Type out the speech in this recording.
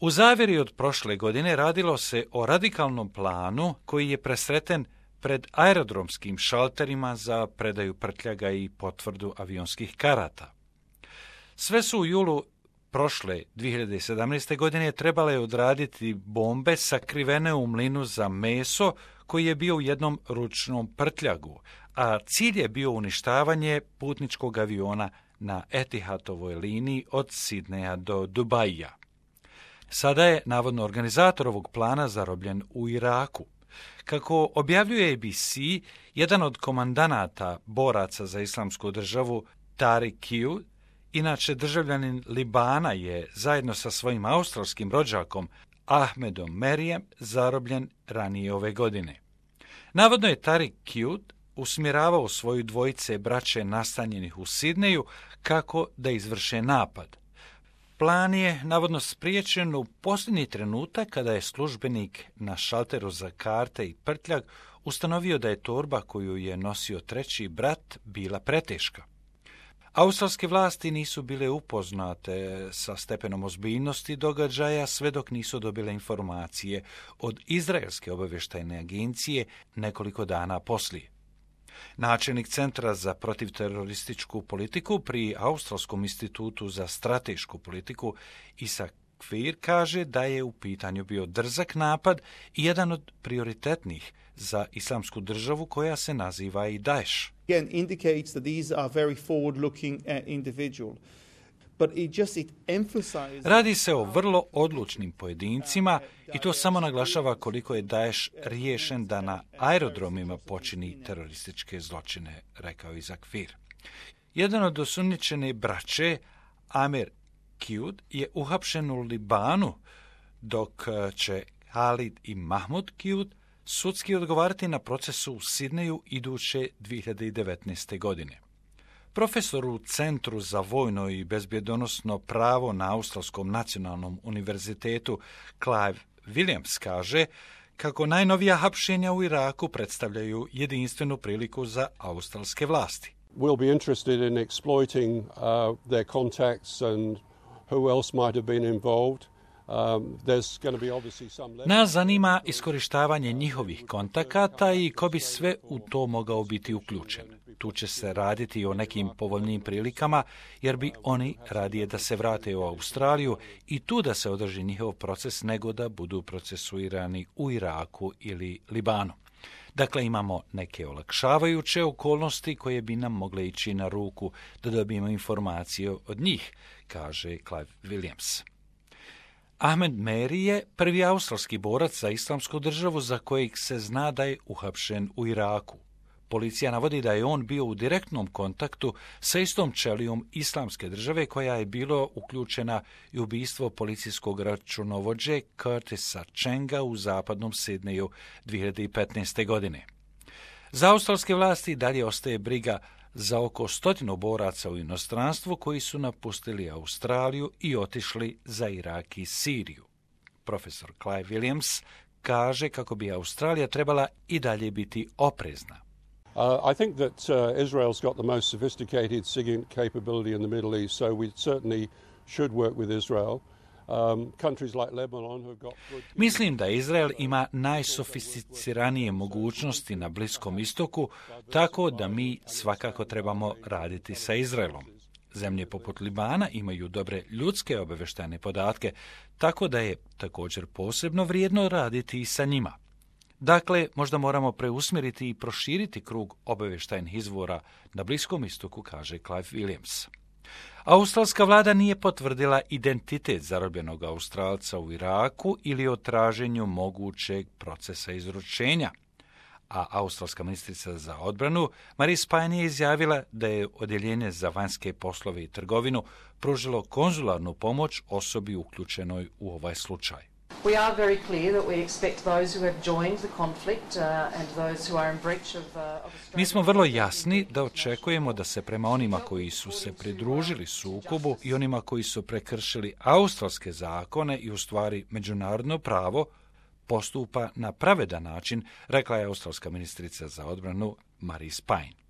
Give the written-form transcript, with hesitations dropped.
U zavjeri od prošle godine radilo se o radikalnom planu koji je presreten pred aerodromskim šalterima za predaju prtljaga i potvrdu avionskih karata. Sve su u julu prošle 2017. godine trebale odraditi bombe sakrivene u mlinu za meso koji je bio u jednom ručnom prtljagu, a cilj je bio uništavanje putničkog aviona na Etihadovoj liniji od Sidneja do Dubaija. Sada je navodno organizator ovog plana zarobljen u Iraku. Kako objavljuje ABC, jedan od komandanata boraca za islamsku državu, Tariq Qiyud, inače državljanin Libana, je zajedno sa svojim australskim rođakom Ahmedom Merijem zarobljen ranije ove godine. Navodno je Tariq Qiyud usmjeravao svoju dvojice braće nastanjenih u Sidneju kako da izvrše napad. Plan je navodno spriječen u posljednji trenutak kada je službenik na šalteru za karte i prtljag ustanovio da je torba koju je nosio treći brat bila preteška. Australske vlasti nisu bile upoznate sa stepenom ozbiljnosti događaja sve dok nisu dobile informacije od Izraelske obavještajne agencije nekoliko dana poslije. Načelnik Centra za protivterorističku politiku pri Australskom institutu za stratešku politiku Isaac Kfir kaže da je u pitanju bio drzak napad i jedan od prioritetnih za islamsku državu koja se naziva i Daesh. Again indicates that these are very forward-looking individual. Radi se o vrlo odlučnim pojedincima i to samo naglašava koliko je Daesh riješen da na aerodromima počini terorističke zločine, rekao Isaac Kfir. Jedan od osumnjičene braće, Amir Qiyud, je uhapšen u Libanu, dok će Khalid i Mahmud Qiyud sudski odgovarati na procesu u Sidneju iduće 2019. godine. Profesor u Centru za vojno i bezbjedonosno pravo na Australskom nacionalnom univerzitetu Clive Williams kaže kako najnovija hapšenja u Iraku predstavljaju jedinstvenu priliku za australske vlasti. We'll be interested in exploiting their contacts and who else might have been involved. Nas zanima iskorištavanje njihovih kontakata i ko bi sve u to mogao biti uključen. Tu će se raditi o nekim povoljnim prilikama, jer bi oni radije da se vrate u Australiju i tu da se održi njihov proces nego da budu procesuirani u Iraku ili Libanu. Dakle, imamo neke olakšavajuće okolnosti koje bi nam mogle ići na ruku da dobijemo informacije od njih, kaže Clive Williams. Ahmed Meri je prvi australski borac za islamsku državu za kojeg se zna da je uhapšen u Iraku. Policija navodi da je on bio u direktnom kontaktu sa istom ćelijom islamske države koja je bilo uključena i u ubistvo policijskog računovođe Curtisa Chenga u zapadnom Sidneju 2015. godine. Za australske vlasti dalje ostaje briga za oko 100 boraca u inostranstvu koji su napustili Australiju i otišli za Irak i Siriju. Profesor Clive Williams kaže kako bi Australija trebala i dalje biti oprezna. I think that Israel's got the most sophisticated SIGINT capability in the Middle East, so we certainly should work with Israel. Mislim da Izrael ima najsofisticiranije mogućnosti na Bliskom istoku, tako da mi svakako trebamo raditi sa Izraelom. Zemlje poput Libana imaju dobre ljudske obavještajne podatke, tako da je također posebno vrijedno raditi i sa njima. Dakle, možda moramo preusmjeriti i proširiti krug obavještajnih izvora na Bliskom istoku, kaže Clive Williams. Australska vlada nije potvrdila identitet zarobljenog Australca u Iraku ili o traženju mogućeg procesa izručenja, a australska ministrica za odbranu Marise Payne je izjavila da je odjeljenje za vanjske poslove i trgovinu pružilo konzularnu pomoć osobi uključenoj u ovaj slučaj. We are very clear that we expect those who have joined the conflict and those who are in breach of Mi smo vrlo jasni da očekujemo da se prema onima koji su se pridružili sukobu i onima koji su prekršili australske zakone i u stvari međunarodno pravo postupa na pravedan način, rekla je australska ministrica za odbranu Marise Payne.